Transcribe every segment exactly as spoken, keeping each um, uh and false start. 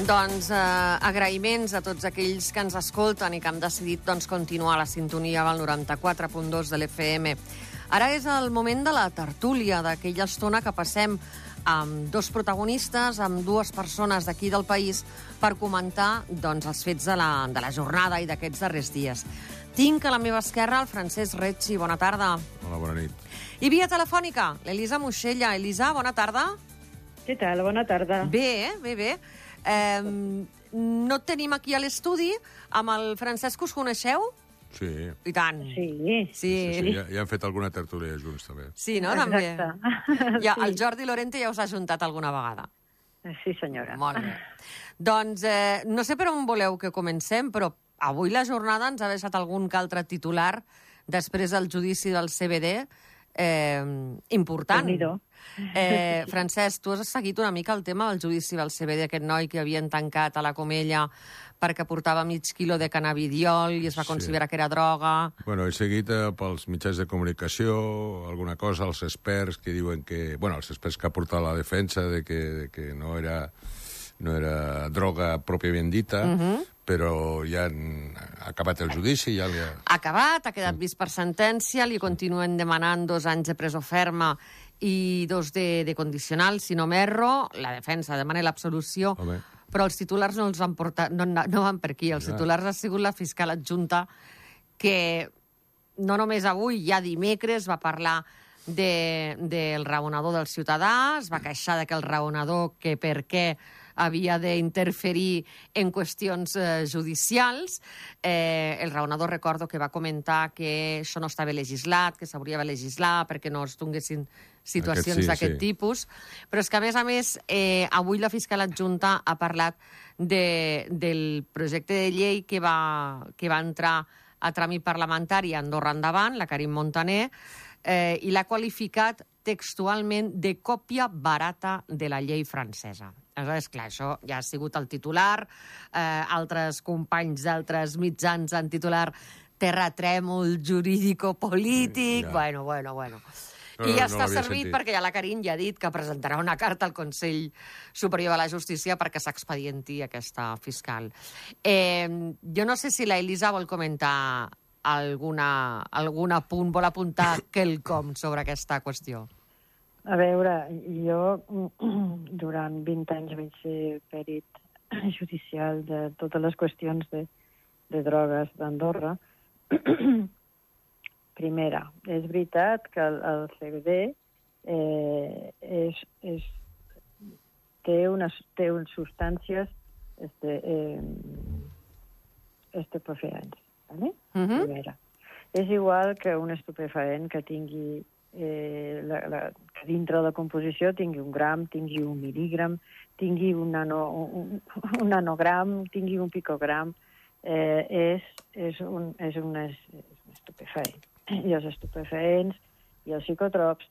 Doncs eh, agraïments a tots aquells que ens escolten i que han decidit doncs, continuar la sintonia del noranta-quatre punt dos de l'F M. Ara és el moment de la tertúlia, d'aquella estona que passem amb dos protagonistes, amb dues persones d'aquí del país, per comentar doncs, els fets de la, de la jornada i d'aquests darrers dies. Tinc a la meva esquerra el Francesc Retxi. Bona tarda. Hola, bona nit. I via telefònica, l'Elisa Moixella. Elisa, bona tarda. Què tal? Bona tarda. Bé, bé, bé. Eh, no et tenim aquí a l'estudi. Amb el Francesc us coneixeu? Sí. I tant. Sí. Sí, sí, sí. Ja, ja han fet alguna tertúlia junts, també. Sí, no? També. Exacte. Ja, Sí. el Jordi Lorente ja us ha ajuntat alguna vegada. Sí, senyora. Molt bé. Doncs eh, no sé per on voleu que comencem, però avui la jornada ens ha deixat algun que altre titular després del judici del C B D eh, important. Déu-n'hi-do. Eh, Francesc, tu has seguit una mica el tema del judici del C B D, aquest noi que havien tancat a la Comella perquè portava mig quilo de cannabidiol i es va Sí. considerar que era droga. Bueno, he seguit eh, pels mitjans de comunicació alguna cosa, els experts que diuen que... Bueno, els experts que ha portat la defensa de que, de que no era, no era droga pròpiament dita, uh -huh. però ja han ha acabat el judici, ja li ha... Ha acabat, ha quedat vist per sentència, li continuen demanant dos anys de presó ferma i dos de, de condicional, si no m'erro. La defensa demana l'absolució, Home. però els titulars no els han portat, no, no van per aquí. Els Ja. titulars ha sigut la fiscal adjunta que no només avui, ja dimecres, va parlar de, del raonador del ciutadà, es va queixar de que el raonador, que per què havia d'interferir en qüestions eh, judicials. Eh, el raonador, recordo que va comentar que això no estava legislat, que s'hauria de legislar perquè no es donguessin situacions sí, d'aquest sí. tipus. Però és que, a més a més, eh, avui la fiscal adjunta ha parlat de, del projecte de llei que va, que va entrar a tràmit parlamentari a Andorra Endavant, la Karim Montaner, eh, i l'ha qualificat textualment de còpia barata de la llei francesa. Aleshores, clar, això ja ha sigut el titular. Eh, altres companys d'altres mitjans han titular terratrèmol jurídico-polític. Ja. Bueno, bueno, bueno. No, I ja no està l'havia servit sentit. perquè ja la Karim ja ha dit que presentarà una carta al Consell Superior de la Justícia perquè s'expedienti aquesta fiscal. Eh, jo no sé si la Elisa vol comentar alguna, algun apunt, vol apuntar quelcom sobre aquesta qüestió. A veure, jo durant vint anys vaig ser perit judicial de totes les qüestions de, de drogues d'Andorra. Primera, és veritat que el, el C B D eh, és, és, té, unes, té unes substàncies este, eh, estupefaents. ¿vale? Uh -huh. Primera. És igual que un estupefaent que tingui eh, la, la, que dintre de la composició tingui un gram, tingui un mil·lígram, tingui un, nano, un, un nanogram, tingui un picogram, eh, és, és, un, és, un, és un estupefaent. I els estupefaents i els psicotrops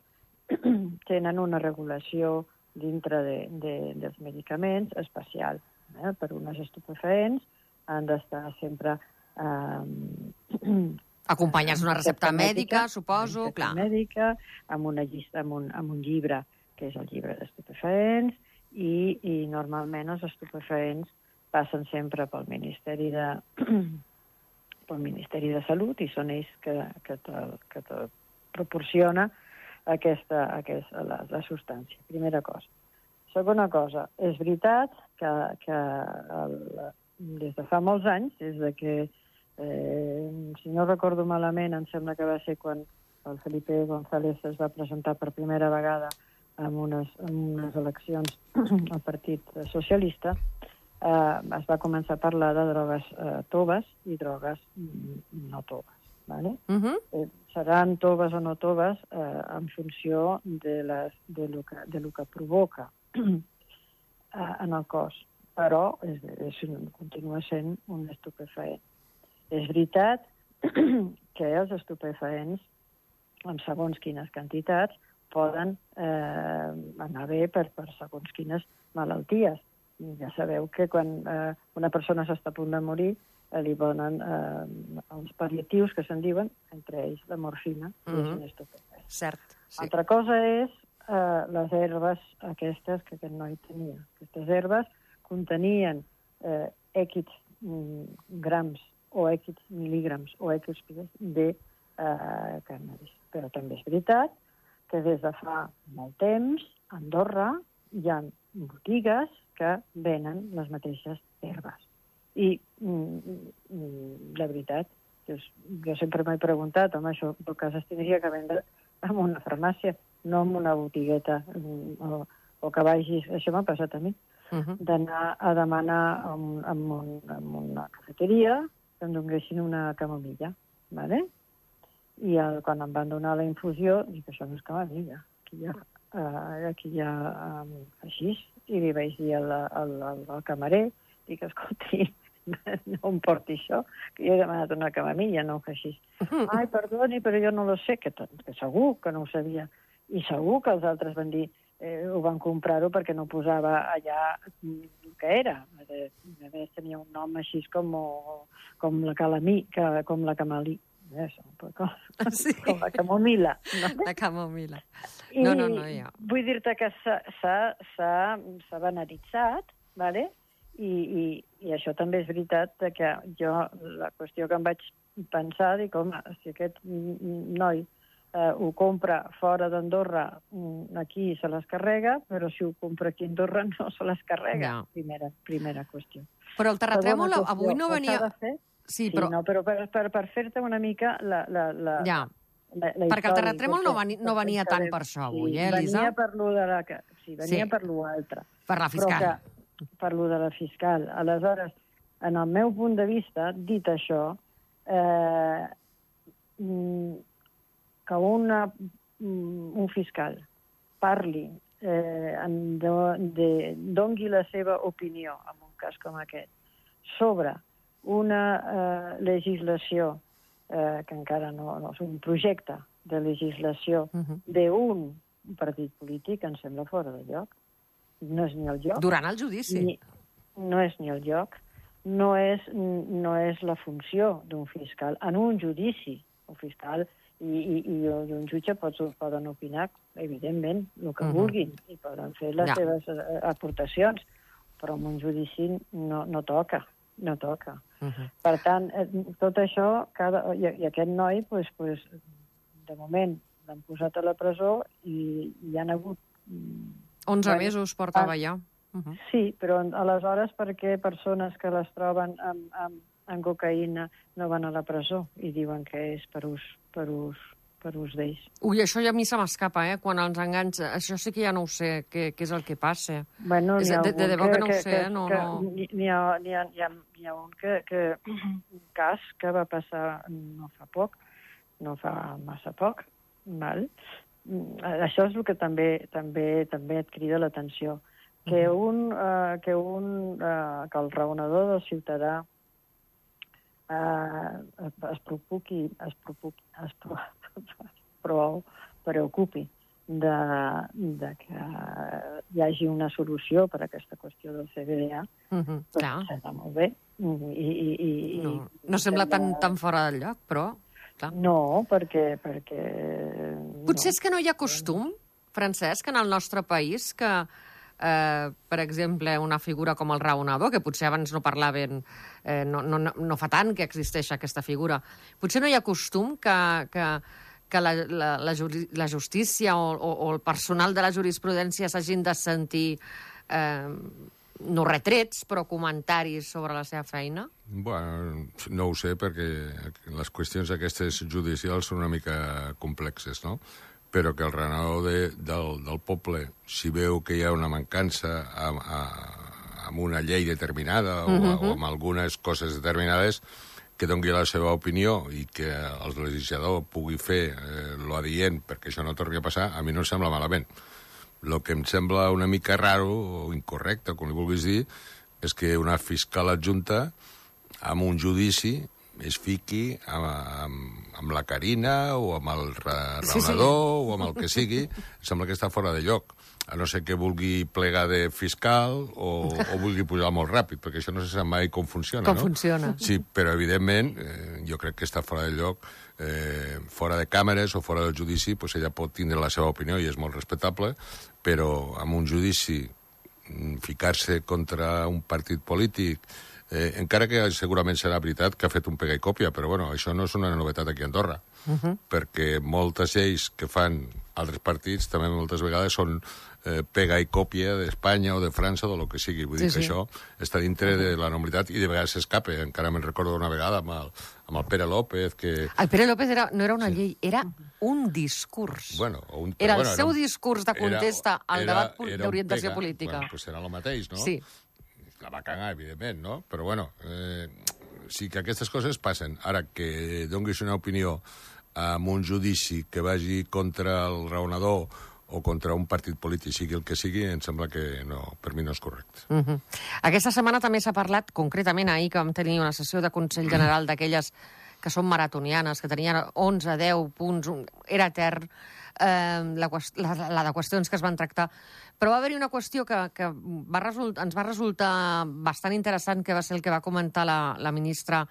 tenen una regulació dintre de, de, dels medicaments especial. Eh? Per unes estupefaents han d'estar sempre... Eh, Acompanyats d'una recepta mèdica, suposo, una recepta clar. mèdica, amb, una llista, amb, un, amb un llibre, que és el llibre d'estupefaents, i, i normalment els estupefaents passen sempre pel Ministeri de, pel Ministeri de Salut i són ells que, que, te, que te proporciona aquesta, aquesta, la, la substància. Primera cosa. Segona cosa, és veritat que, que el, des de fa molts anys, des de que Eh, si no recordo malament, em sembla que va ser quan el Felipe González es va presentar per primera vegada en unes, en unes eleccions al Partit Socialista, eh, es va començar a parlar de drogues eh, toves i drogues no toves. ¿vale? Uh -huh. eh, seran toves o no toves eh, en funció de, les, de, lo que, de lo que provoca eh, en el cos, però és, és, continua sent un estupefaent. És veritat que els estupefaents, amb segons quines quantitats, poden eh, anar bé per, per segons quines malalties. I ja sabeu que quan eh, una persona s'està a punt de morir, eh, li donen eh, els pal·liatius, que se'n diuen, entre ells la morfina, que Mhm. és un estupefaent. Cert, sí. Altra cosa és eh, les herbes aquestes que aquest noi tenia. Aquestes herbes contenien eh, X grams o X mil·lígrams o X de eh, cànnabis. Però també és veritat que des de fa molt temps a Andorra hi ha botigues que venen les mateixes herbes. I mm, la veritat, jo, jo sempre m'he preguntat, home, això en tot cas es tindria que vendre en una farmàcia, no en una botigueta, o, o que vagis, això m'ha passat a mi, uh-huh. d'anar a demanar en, en, un, en una cafeteria que em donguessin una camomilla, ¿vale? I el, quan em van donar la infusió, dic, això no és camomilla, aquí hi ha, uh, aquí hi ha um, així, i li vaig dir al, al, al, al camarer, dic, escolti, no em porti això, que jo he demanat una camomilla, no un així. Ai, perdoni, però jo no lo sé, que, que segur que no ho sabia. I segur que els altres van dir, eh, ho van comprar-ho perquè no posava allà el que era. A més, tenia un nom així com, com la calamí, que, com la camalí. Eso, com, sí. com la camomila. No? La camomila. No, no, no, ja. Vull dir-te que s'ha banalitzat, ¿vale? I, i, i això també és veritat que jo, la qüestió que em vaig pensar, dic, home, si aquest noi eh, ho compra fora d'Andorra, aquí se les carrega, però si ho compra aquí a Andorra no se les carrega. No. Primera, primera qüestió. Però el terratrèmol qüestió, avui no venia... Sí, sí, però... No, però per, per, per fer-te una mica la, la, la, ja. la, la perquè el terratrèmol no, veni, no venia tant per això avui, eh, Elisa? Venia per lo de la... Sí, venia sí. per lo altre. Per la fiscal. Que, per lo de la fiscal. Aleshores, en el meu punt de vista, dit això, eh, que una, un fiscal parli, eh, de, de, dongui la seva opinió, en un cas com aquest, sobre una eh, legislació, eh, que encara no, no és un projecte de legislació uh-huh. d'un partit polític, em sembla fora de lloc. No és ni el lloc. Durant el judici. Ni, no és ni el lloc. No és, no és la funció d'un fiscal. En un judici, un fiscal i, i, i un jutge pot, poden opinar, evidentment, el que uh-huh. vulguin, i poden fer les ja. seves aportacions, però en un judici no, no toca. No toca. Uh-huh. Per tant, tot això, cada, i, i aquest noi, pues, pues, de moment, l'han posat a la presó i hi han hagut... onze bueno, mesos portava ja. Uh-huh. Sí, però aleshores per què persones que les troben amb, amb, amb cocaïna no van a la presó i diuen que és per ús, per ús, per ús d'ells? Ui, això ja a mi se m'escapa, eh? Quan els enganys... Això sí que ja no ho sé, què, què és el que passa. Bueno, és, de, de debò que, que no ho sé, que, no... Que, no... N'hi ha, n'hi ha, n'hi ha, n'hi ha un, que, que, un cas que va passar no fa poc, no fa massa poc, val? Això és el que també, també, també et crida l'atenció. Que un, uh, que, un uh, que el raonador del ciutadà uh, es, es preocupi, es preocupi, es preocupi, però preocupi de, de que hi hagi una solució per a aquesta qüestió del C B D A, uh-huh, doncs està molt bé. I, i, i, no, no sembla tan, tan fora del lloc, però... Clar. No, perquè... perquè Potser no. és que no hi ha costum, Francesc, en el nostre país, que, eh, per exemple, una figura com el raonador, que potser abans no parlaven, eh, no, no, no fa tant que existeix aquesta figura, potser no hi ha costum que, que, que la, la, la, la justícia o, o, o el personal de la jurisprudència s'hagin de sentir... Eh, no retrets, però comentaris sobre la seva feina? Bueno, no ho sé, perquè les qüestions aquestes judicials són una mica complexes, no? Però que el raonador de, del, del poble, si veu que hi ha una mancança amb, amb una llei determinada o, uh-huh. o amb algunes coses determinades, que doni la seva opinió i que el legislador pugui fer eh, l'adient perquè això no torni a passar, a mi no em sembla malament. El que em sembla una mica raro o incorrecte, com li vulguis dir, és que una fiscal adjunta amb un judici es fiqui amb, amb, amb la Carina o amb el raonador sí, sí. o amb el que sigui. Em sembla que està fora de lloc. A no ser que vulgui plegar de fiscal o, o vulgui pujar molt ràpid, perquè això no se sap mai com funciona, com no? funciona. Sí, però evidentment eh, jo crec que està fora de lloc. Eh, fora de càmeres o fora del judici, pues ella pot tindre la seva opinió i és molt respectable, però amb un judici ficar-se contra un partit polític, eh, encara que segurament serà veritat que ha fet un pega i còpia, però bueno, això no és una novetat aquí a Andorra, uh -huh. perquè moltes lleis que fan altres partits també moltes vegades són eh, pega i còpia d'Espanya o de França o del que sigui. Vull sí, dir que sí. això està dintre de la normalitat i de vegades s'escapa. Encara me'n recordo una vegada amb el, amb el Pere López que... El Pere López era, no era una sí. llei, era un discurs. Bueno, un, era bueno, el seu era un, discurs de contesta era, al era, debat era d'orientació política. Bueno, pues era el mateix, no? Sí. La va cagar, evidentment, no? Però bueno, eh, sí que aquestes coses passen. Ara, que donis una opinió en un judici que vagi contra el raonador o contra un partit polític, sigui el que sigui, em sembla que no, per mi no és correcte. Uh -huh. Aquesta setmana també s'ha parlat, concretament ahir, que vam tenir una sessió de Consell General d'aquelles que són maratonianes, que tenien onze, deu punts, un, era etern, eh, la, la, la de qüestions que es van tractar. Però va haver-hi una qüestió que, que va result, ens va resultar bastant interessant, que va ser el que va comentar la, la ministra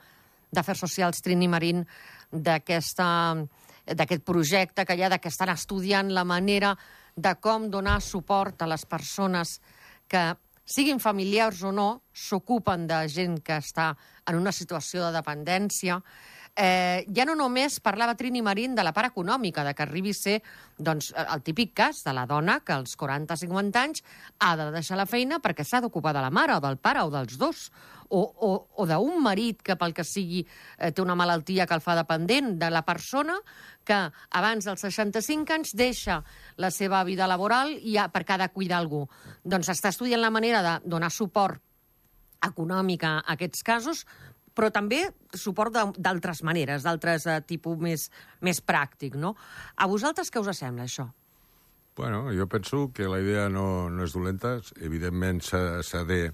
d'Afers Socials, Trini Marín, d'aquesta... d'aquest projecte que hi ha, que estan estudiant la manera de com donar suport a les persones que, siguin familiars o no, s'ocupen de gent que està en una situació de dependència. Eh, ja no només parlava Trini Marín de la part econòmica, de que arribi a ser doncs, el típic cas de la dona que als quaranta cinquanta anys ha de deixar la feina perquè s'ha d'ocupar de la mare o del pare o dels dos, o, o, o d'un marit que pel que sigui eh, té una malaltia que el fa dependent, de la persona que abans dels seixanta-cinc anys deixa la seva vida laboral i ha, perquè ha de cuidar algú. Doncs està estudiant la manera de donar suport econòmic a aquests casos, però també suport d'altres maneres, d'altres eh, tipus més, més pràctic, no? A vosaltres què us sembla, això? Bueno, jo penso que la idea no, no és dolenta. Evidentment s'ha de,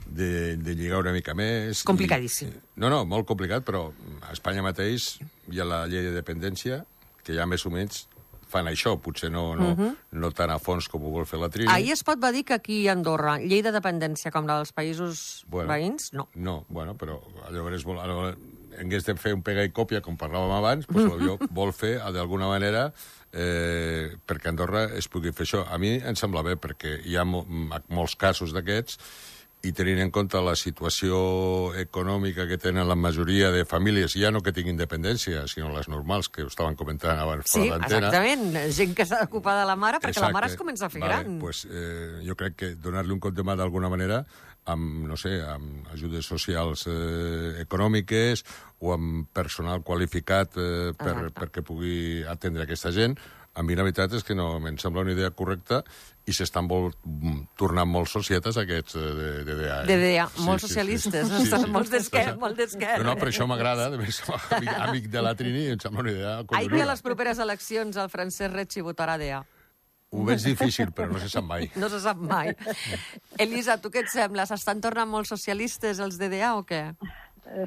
de, de lligar una mica més. Complicadíssim. I, no, no, molt complicat, però a Espanya mateix hi ha la llei de dependència, que ja més o menys fan això, potser no, no, uh -huh. no tan a fons com ho vol fer la Trini. Ahir es pot va dir que aquí a Andorra, llei de dependència com la dels països bueno, veïns, no. No, bueno, però llavors vol, en comptes de fer un pega i còpia, com parlàvem abans, doncs potser vol fer, d'alguna manera, eh, perquè a Andorra es pugui fer això. A mi em sembla bé, perquè hi ha mo molts casos d'aquests, i tenint en compte la situació econòmica que tenen la majoria de famílies, ja no que tinguin dependència, sinó les normals, que ho estaven comentant abans sí, fora d'antena. Sí, exactament. Gent que s'ha d'ocupar de la mare, perquè Exacte. la mare es comença a fer vale, gran. Pues, eh, jo crec que donar-li un cop de mà d'alguna manera amb, no sé, amb ajudes socials eh, econòmiques o amb personal qualificat eh, per, perquè pugui atendre aquesta gent, a mi la veritat és que no em sembla una idea correcta i s'estan tornant molt societes aquests de, de D A. Eh? De D A, sí, molt sí, socialistes, sí, sí. sí. molts d'esquerra. Molt no, no, per això m'agrada, amic, amic de la Trini, em sembla una idea... Ahir que a les properes eleccions el Francesc Retxi votarà D A. Ho veig difícil, però no se sap mai. No se sap mai. Elisa, tu què et sembla? S'estan tornant molt socialistes els de D A o què?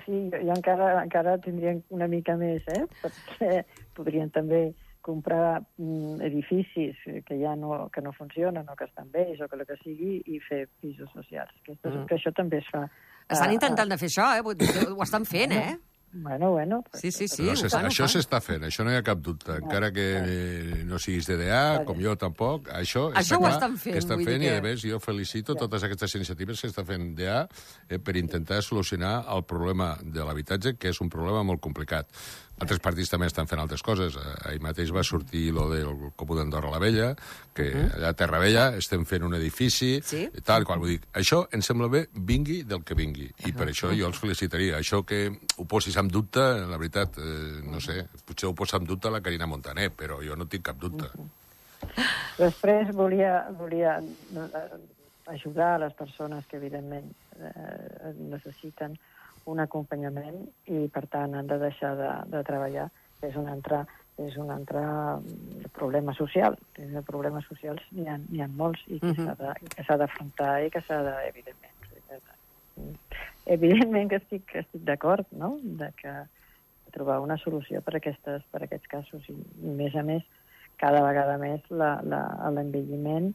Sí, jo encara, encara tindrien una mica més, eh? Perquè podrien també comprar mm, edificis que ja no, que no funcionen o que estan vells o que el que sigui i fer pisos socials. Que, mm. que això també es fa. Estan intentant de fer això, eh? Ho estan fent, eh? Bueno, bueno. Sí, sí, sí. No, això s'està fent, això no hi ha cap dubte. Encara que eh, no siguis de D A, com jo tampoc, això, això està ho clar estan fent. Que estan fent que... i, a més, jo felicito ja. totes aquestes iniciatives que està fent D A eh, per intentar solucionar el problema de l'habitatge, que és un problema molt complicat. Altres partits també estan fent altres coses. Ahir mateix va sortir lo del Comú d'Andorra la Vella, que uh -huh. allà a Terra Vella estem fent un edifici, sí? i tal, qual. Vull dir, això em sembla bé, vingui del que vingui. I uh -huh. per això jo els felicitaria. Això que ho posis en dubte, la veritat, eh, no sé, potser ho posa en dubte la Carina Montaner, però jo no tinc cap dubte. Uh -huh. Després volia, volia ajudar a les persones que, evidentment, eh, necessiten un acompanyament i, per tant, han de deixar de, de treballar. És un altre, és un altre problema social. De problemes socials n'hi ha, n'hi ha molts i que uh-huh. s'ha d'afrontar i que s'ha de, evidentment... Evidentment que estic, que estic d'acord, no?, de que trobar una solució per, aquestes, per aquests casos. I, i més a més, cada vegada més l'envelliment...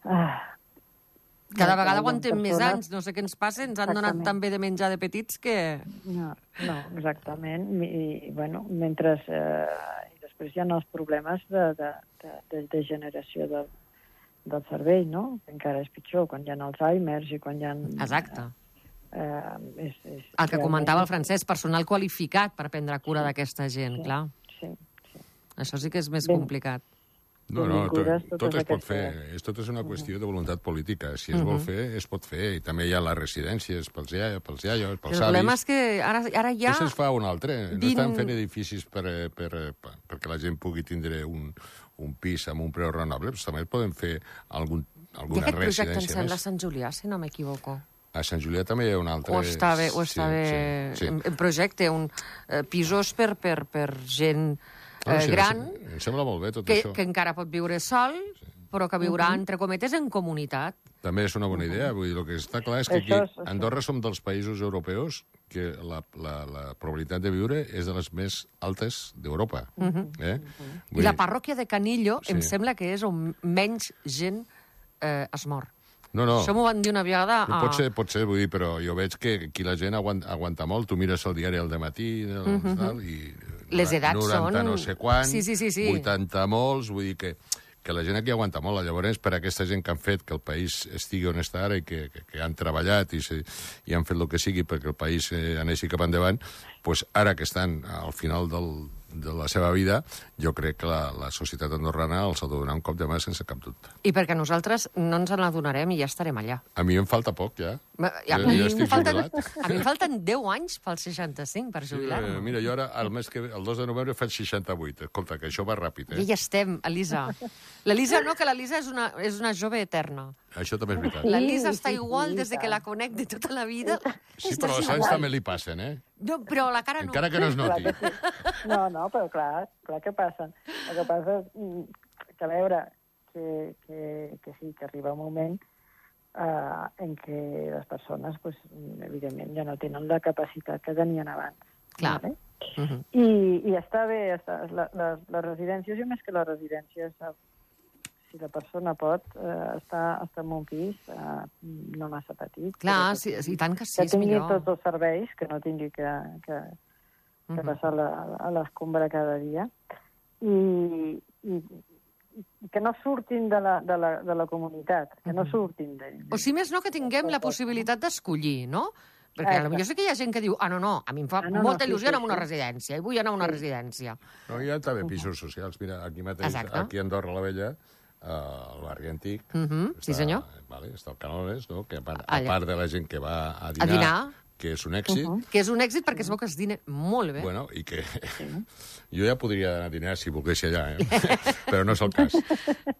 Ah, Cada vegada aguantem més anys, no sé què ens passa, ens han exactament. donat tan bé de menjar de petits que... No, no exactament. I, i bueno, mentre... Eh, i després hi ha els problemes de, de, de, de generació de, del cervell, no? Que encara és pitjor, quan hi ha Alzheimer i quan hi ha... Exacte. Eh, és, és El que comentava el Francesc, personal qualificat per prendre cura d'aquesta gent, sí, clar. Sí, sí. Això sí que és més Ben, complicat. No, no, tot, tot es pot aquestes... fer. És, tot és una qüestió de voluntat política. Si es vol fer, es pot fer. I també hi ha les residències pels iaios, pels iaios, pels El problema avis. és que ara, ara ja... Això es fa un altre. No Din- estan fent edificis per, per, per, perquè la gent pugui tindre un, un pis amb un preu raonable, però també poden fer algun, I alguna aquest projecte em residència sembla a més. Sant Julià, si no m'equivoco. A Sant Julià també hi ha un altre... O està bé, o està sí, bé sí, sí. en, en projecte, un eh, pisos per, per, per gent No, eh, sí, gran, Em sembla molt bé tot que, això. que encara pot viure sol, però que viurà, entre cometes, en comunitat. També és una bona idea. Vull dir, el que està clar és que aquí Això és- a Andorra som dels països europeus que la, la, la probabilitat de viure és de les més altes d'Europa. eh? I la parròquia de Canillo Sí. em sembla que és on menys gent eh, es mor. No, no. Això m'ho van dir una vegada... No, A... pot ser, pot ser, vull dir, però jo veig que aquí la gent aguanta, aguanta molt. Tu mires el diari al dematí uh -huh. tal, i... Les edats noranta són- no sé quant, Sí, sí, sí, sí. vuitanta molts, vull dir que, que la gent aquí aguanta molt. Llavors, per aquesta gent que han fet que el país estigui on està ara i que, que, que han treballat i, se, i han fet el que sigui perquè el país eh, aneixi cap endavant, pues ara que estan al final del, de la seva vida, jo crec que la, la societat andorrana els ha de donar un cop de mà sense cap dubte. I perquè nosaltres no ens n'adonarem i ja estarem allà. A mi em falta poc, ja. A, Jo- mi jo em estic falten, jubilat. a mi em falten deu anys pels seixanta-cinc per jubilar-me. Eh, mira, jo ara, el mes que ve, el dos de novembre, faig seixanta-vuit. Escolta, que això va ràpid, I eh? ja estem, Elisa. L'Elisa no, que l'Elisa és, una, és una jove eterna. Això també és veritat. L'Elisa Sí, està sí, igual sí, des de que tant. la conec de tota la vida. Sí, Estàs però els anys igual. també li passen, eh? No, però la cara no. Encara que no es noti. Clar que sí. No, no, però clar, clar que passen. El que passa és mm, que, a veure, que, que, que sí, que arriba un moment eh, en què les persones, pues, evidentment, ja no tenen la capacitat que tenien abans. Clar. Vale? Uh -huh. I, I està bé, està, la, les, les residències, i més que les residències, eh, si la persona pot eh, estar, estar en un pis eh, no massa petit. Clar, però sí, que, sí, i tant que sí, que és tingui millor. tots els serveis, que no tingui que, que, que Mhm. passar la, a l'escombra cada dia, i, i, i que no surtin de la, de la, de la comunitat, que no surtin d'ell. O si més no, que tinguem la possibilitat d'escollir, no? Perquè potser sí que hi ha gent que diu ah, no, no, a mi em fa Ah, no, no, molta sí, il·lusió sí, anar a una sí. residència, i vull anar a una residència. No, hi ha també pisos socials. Mira, aquí mateix, Exacte. aquí a Andorra la Vella, eh, al barri antic... Mhm, sí, senyor. Vale, està el Canones, no? Que a part, a Allà. part de la gent que va a dinar, A dinar. que és un èxit, uh -huh. Que és un èxit perquè es veu que es dina molt bé. bueno, i que jo ja podria anar a dinar si volgués allà, eh? però no és el cas.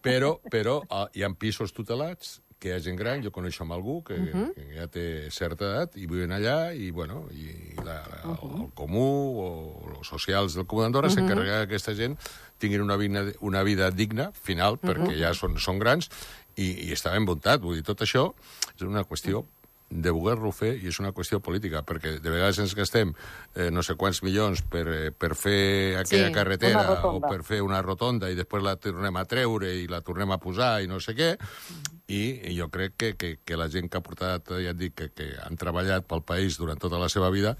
Però, però uh, hi ha pisos tutelats que hi ha gent gran, jo coneixo amb algú que, uh -huh. que ja té certa edat i viuen allà i, bueno, i la, la, uh -huh. el comú o els socials del Comú d'Andorra uh -huh. s'encarrega que aquesta gent tinguin una vida, una vida digna, final, uh -huh. perquè ja són, són grans i, i està ben muntat. Vull dir, tot això és una qüestió de voler-lo fer, i és una qüestió política, perquè de vegades ens gastem eh, no sé quants milions per, eh, per fer aquella Sí, carretera una o rotonda. per fer una rotonda i després la tornem a treure i la tornem a posar i no sé què, i, i jo crec que, que, que la gent que ha portat, ja et dic, que, que han treballat pel país durant tota la seva vida,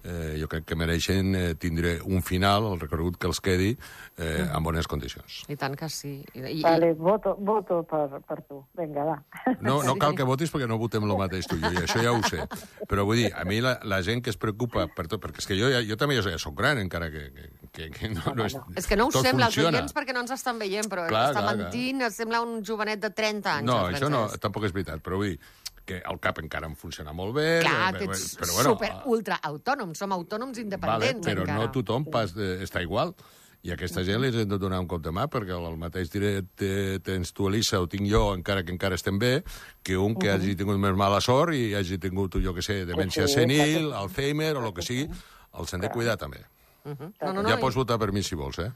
eh, jo crec que mereixen eh, tindre un final, el recorregut que els quedi, eh, en bones condicions. I tant que sí. I, i, Vale, voto, voto per, per tu. Vinga, va. No, no Sí. cal que votis perquè no votem el mateix tu i jo, i això ja ho sé. Però vull dir, a mi la, la gent que es preocupa per tot, perquè és que jo, ja, jo també ja soc gran, encara que, que, que no, no és... és que no ho tot sembla, els funciona. oients, perquè no ens estan veient, però Clar, està clar, mentint, clar. Sembla un jovenet de trenta anys. No, el això no, Francesc. tampoc és veritat, però vull dir que el cap encara em funciona molt bé. Clar, eh, que ets però, bueno, super, ultra autònom, som autònoms vale, independents però encara. no tothom pas de, està igual. I a aquesta gent li hem de donar un cop de mà, perquè el mateix dret te- tens tu, Elisa, o tinc jo, encara que encara estem bé, que un que hagi tingut més mala sort i hagi tingut, jo que sé, demència sí, senil, clar que Alzheimer o el que sigui, els hem de cuidar també. Uh-huh. No, no, no, Ja i- pots votar per mi si vols, eh?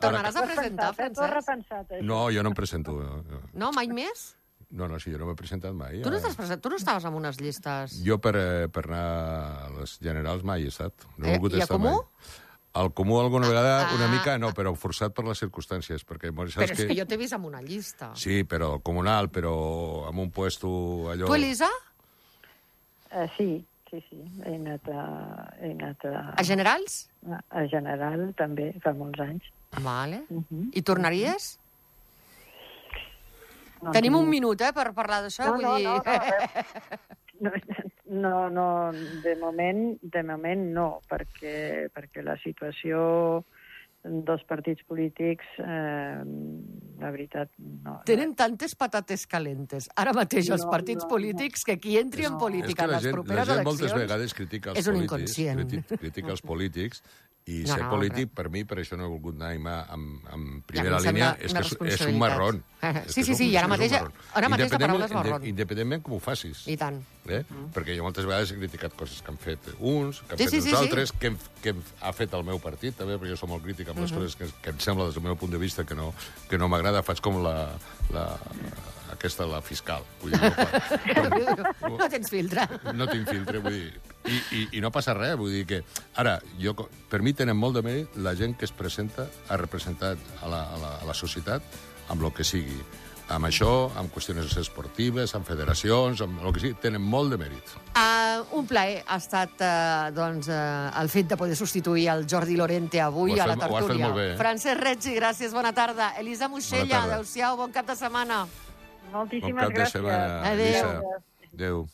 Tornaràs a presentar, T'ho has Francesc? repensat, això. No, jo no em presento. No, no, No, mai més? no, no sí, jo no m'he presentat mai. Tu no, eh. t'has present... tu no estaves en unes llistes... Jo per, eh, per anar a les generals mai he estat. No he Eh, volgut i a estar Comú? mai. Al Comú alguna vegada, Ah. una mica, no, però forçat per les circumstàncies, perquè saps Però és que jo t'he vist en una llista. Sí, però comunal, però amb un puesto allò... Tu, Elisa, Uh, sí, sí, sí. He anat a... He anat a, a Generals? a, a General, també, fa molts anys. Vale. Uh -huh. I tornaries? No Tenim un tinc- minut, eh, per parlar d'això, No, vull no, dir... no, no, no, no, de moment, de moment no, perquè, perquè la situació dels partits polítics, eh, la veritat, no. Tenen tantes patates calentes ara mateix els No, partits no, polítics que qui entri en No. És política que en la les gent, la properes gent moltes eleccions vegades critica els és un polítics, inconscient. criti- critica els polítics, i No, ser no, polític, res. per mi, per això no he volgut anar mai amb, amb Ja, primera em sembla línia, una és que és, és un responsabilitat. marrón. Sí, És sí, que és sí, un- i ara és un mateix- marrón. ara mateix la paraula és Independentment- marrón. Independentment com ho facis. I tant. Eh? Mm. Perquè jo moltes vegades he criticat coses que han fet uns, que han Sí, fet sí, uns sí, sí. altres, que, hem, que hem, ha fet el meu partit, també, perquè jo soc molt crític amb les coses que, que em sembla, des del meu punt de vista, que no, que no m'agrada. Faig com la, la, aquesta, la fiscal. Vull dir, no, No tens filtre. no tinc filtre, vull dir... I, i, I no passa res, vull dir que... Ara, jo, per mi tenen molt de mèrit la gent que es presenta a representar a la, a la, a la societat amb el que sigui. Amb això, amb qüestions esportives, amb federacions, amb el que sigui, tenen molt de mèrit. Uh, un plaer ha estat uh, doncs, uh, el fet de poder substituir el Jordi Lorente avui Ho has a la fet- ho has fet tertúlia. molt bé, eh? Francesc Reggi, gràcies, bona tarda. Elisa Moixella, Bona tarda. adéu-siau, bon cap de setmana. Bon Moltíssimes cap de gràcies. setmana, Adéu. Elisa. Adéu.